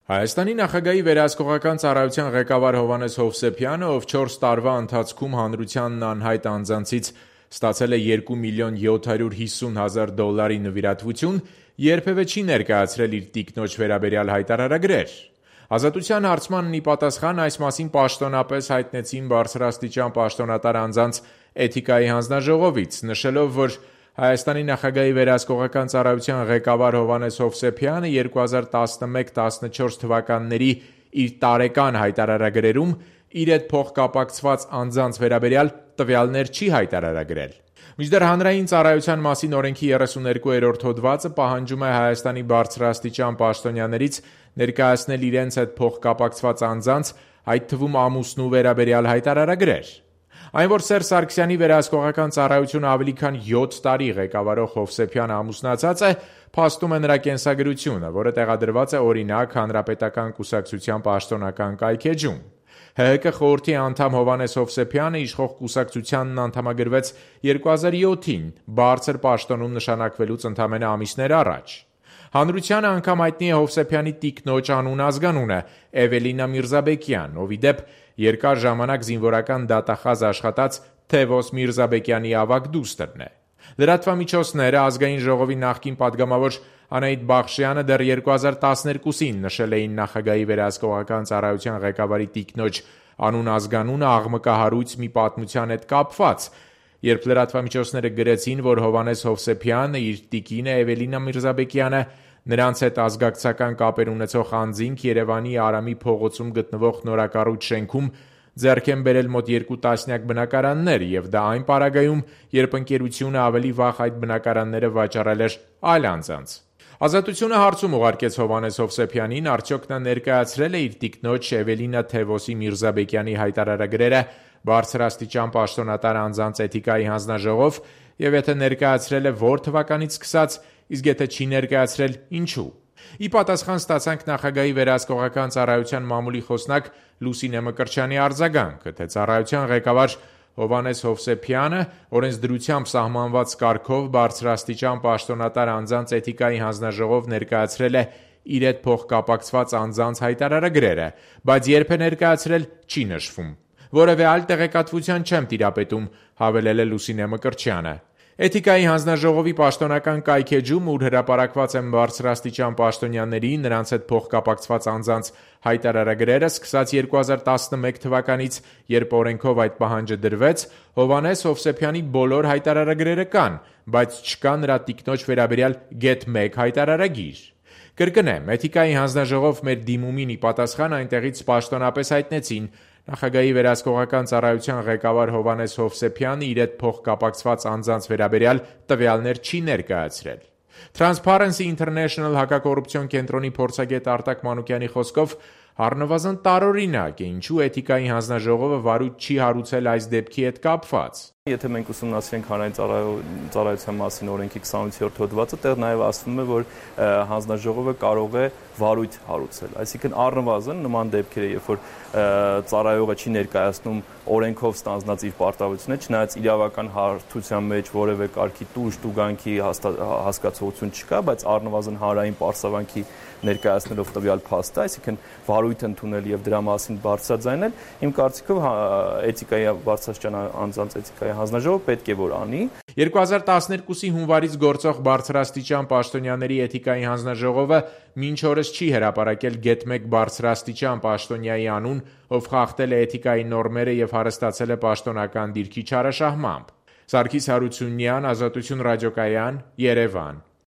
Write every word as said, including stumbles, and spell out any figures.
Հայաստանի նախագահի վերահսկողական ծառայության ղեկավար Հովհաննես Հովսեփյանը, ով չորս տարվա ընթացքում հանրությանն անհայտ անձանցից ստացել է երկու միլիոն յոթ հարյուր հիսուն հազար դոլարի նվիրատվություն, երբևէ չի ներկայացրել իր տիկնոջ վերաբերյալ հայտարարագրեր։ Ազատության հարցմանն ի պատասխան այս մասին պաշտոնապես հայտնեցին բարձրաստիճան պաշտոնատար անձանց էթիկայի հանձնաժողովից, նշելով, որ Հայաստանի նախագահի վերահսկողական ծառայության ղեկավար Հովհաննես Հովսեփյանը երկու հազար տասնմեկ տասնչորս թվականների իր տարեկան հայտարարագրերում իր հետ փոխկապակցված անձանց վերաբերյալ տվյալներ չի հայտարարագրել։ Մինչդեռ հանրային ծառայության մասին օրենքի երեսուներկուերորդ հոդվածը պահանջում է Հայաստանի բարձրաստիճան պաշտոնյաներից ներկայացնել իրենց հետ փոխկապակցված անձանց, այդ թվում ամուսնու վերաբերյալ հայտարարագրեր։ Այն, որ Սերժ Սարգսյանի վերահսկողական ծառայությունը ավելի քան յոթ տարի ղեկավարող Հովսեփյանը ամուսնացած է, փաստում է նրա կենսագրությունը, որը տեղադրված է օրինակ Հանրապետական կուսակցության պաշտոնական կայքէջում։ ՀՀԿ խորհրդի անդամ Հովհաննես Հովսեփյանը իշխող կուսակցությանն անդամագրվեց երկու հազար յոթին, բարձր պաշտոնում նշանակվելուց ընդամենը ամիսներ առաջ։ Հանրությանը անգամ հայտնի է Հովսեփյանի տիկնոջ անուն ազգանունը՝ Էվելինա Միրզաբեկյան, ով ի դեպ երկար ժամանակ զինվորական դատախազ աշխատած Թևոս Միրզաբեկյանի ավագ դուստրն է։ Լրատվամիջոցները Ազգային ժողովի նախկին պատգամավոր Անահիտ Բախշյանը դեռ երկու հազար տասներկուսին նշել էին նախագահի վերահսկողական ծառայության ղեկավարի տիկնոջ անուն ազգանունը աղմկահարույց մի պատմության հետ կապված, երբ լրատվամիջոցները գրեցին, որ Հովհաննես Հովսեփյանը իր տիկինը Էվելինա Միրզաբեկյանը նրանց հետ ազգակցական կապեր ունեցող անձինք Երևանի Արամի փողոցում գտնվող նորակառույց շենքում ձեռք են բերել մոտ երկու տասնյակ բնակարաններ, եւ դա այն պարագայում, երբ ընկերությունը ավելի վաղ այդ բնակարանները վաճառել էր այլ անձանց։ Ազատությունը հարցում ուղարկեց Հովհաննես Հովսեփյանին, արդյոք նա ներկայացրել է իր տիկնոջ Էվելինա Թևոսի Միրզաբեկյանի հայտարարագրերը բարձրաստիճան պաշտոնատար անձանց էթիկայի հանձնաժողով, եւ եթե ներկայացրել է որ թվականից սկսած, իսկ եթե չի ներկայացրել, ինչու։ Ի պատասխան ստացանք նախագահի վերահսկողական ծառայության մամուլի խոսնակ Լուսինե Մկրտչյանի արձագանքը, թե ծառայության ղեկավար Հովհաննես Հովսեփյանը օրենսդրությամբ սահմանված կարգով բարձրաստիճան պաշտոնատար անձանց էթիկայի հանձնաժողով ներկայացրել է իր հետ փոխկապակցված անձանց հայտարարագրերը, բայց երբ է ներկայացրել, չի նշվում։ Որևէ այլ տեղեկատվության չեմ տիրապետում, հավելել է Լուսինե Մկրտչյանը։ Էթիկայի հանձնաժողովի պաշտոնական կայքէջում, ուր հրապարակված են բարձրաստիճան պաշտոնյաների, նրանց հետ փոխկապակցված անձանց հայտարարագրերը, սկսած երկու հազար տասնմեկ թվականից, երբ օրենքով այդ պահանջը դրվեց, Հովհաննես Հովսեփյանի բոլոր հայտարարագրերը կան, բայց չկա նրա տիկնոջ վերաբերյալ գեթ մեկ հայտարարագիր։ Կրկնեմ, Էթիկայի հանձնաժողով մեր դիմումին ի պատասխան այնտեղից պաշտոնապես հայտնեցին նախագահի վերահսկողական ծառայության ղեկավար Հովհաննես Հովսեփյանը իր հետ փոխկապակցված անձանց վերաբերյալ տվյալներ չի ներկայացրել։ Transparency International հակակոռուպցիոն կենտրոնի փորձագետ Արտակ Մանուկյանի խոսքով առնվազն տարօրինակ է, ինչու Էթիկայի հանձնաժողովը վարույթ չի հարուցել այս դեպքի հետ կապված։ Եթե մենք ուսումնասիրենք հանրային ծառայության մասին օրենքի քսանութերորդ հոդվածը, տեղ նաև ասվում է, որ հանձնաժողովը կարող է վարույթ հարուցել։ Այսինքն առնվազն նման դեպքերը, երբ որ ծառայողը չի ներկայացնում օրենքով ստանձնած իր պարտավորությունները, չնայած իրավական հարթության մեջ որևէ կարգի տուժ, տուգանքի հասկացողություն չկա, բայց առնվազն հանրային պարսավանքի ներկայացնելով տվյալ փաստը, այսինքն վարույթ ընդունել եւ դրա մասին բարձրաձայնել, իմ կարծիքով էթիկայի բարձրաստիճան անձանց էթիկայի հանձնաժողովը պետք է որ անի։ երկու հազար տասներկուսի հունվարից գործող բարձրաստիճան պաշտոնյաների էթիկայի հանձնաժողովը մինչ օրս չի հրապարակել գեթ մեկ բարձրաստիճան պաշտոնյայի անուն, ով խախտել է էթիկայի նորմերը եւ հարստացել է պաշտոնական դիրքի չարաշահմամբ։ Սարգիս Հարությունյան, Ազատություն ռադիոկայան, Երևան։